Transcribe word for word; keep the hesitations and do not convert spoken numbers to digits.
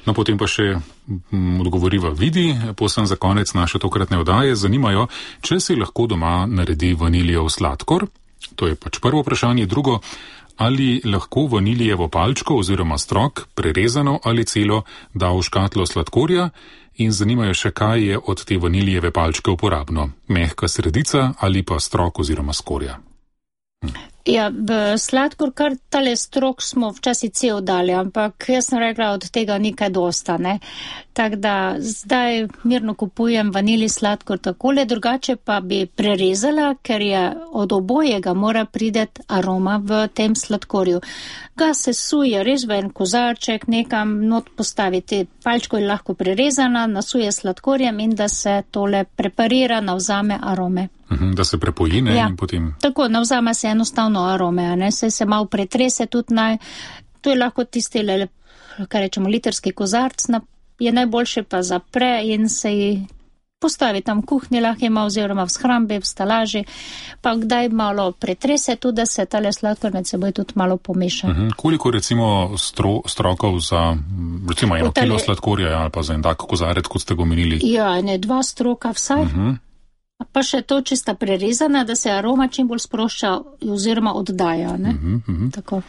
No, potem pa še m, odgovoriva Vidi, posem za konec naše tokratne oddaje. Zanimajo, če si lahko doma naredi vanilijev sladkor. To je pač prvo vprašanje. Drugo, ali lahko vanilijevo palčko oziroma strok, prerezano ali celo, da v škatlo sladkorja. In zanimajo še, kaj je od te vanilijeve palčke uporabno. Mehka sredica ali pa strok oziroma skorja. Hm. Ja, v sladkor kar tale strok smo včasih cel dali, ampak jaz sem rekla, od tega nikaj dosta, ne. Tako da zdaj mirno kupujem vanilij sladkor takole, drugače pa bi prerezala, ker je od obojega mora prideti aroma v tem sladkorju. Ga se suje res v en kozarček, nekam not postaviti. Palčko je lahko prerezana, nasuje sladkorjem in da se tole preparira, navzame arome. Da se prepoji, ne, ja, in potem... Tako, navzame se enostavno arome, ne, se se malo pretrese tudi naj, to je lahko tisti, kaj rečemo, literski kozarc, na, je najboljše pa zapre in se ji postavi tam v kuhnji, lahko ima oziroma v shrambi, v stalaži, pa kdaj malo pretrese tudi, da se tale sladkor med seboj tudi malo pomeša. Uh-huh. Koliko recimo stro, strokov za, recimo eno tale... kilo sladkorja ali pa za en tak kozarec, kot ste ga omenili? Ja, ne, dva stroka vsaj. Uh-huh. Pa še to, če sta prerezana, da se aroma čim bolj sprošča oziroma oddaja, ne? Uh-huh, uh-huh. Tako.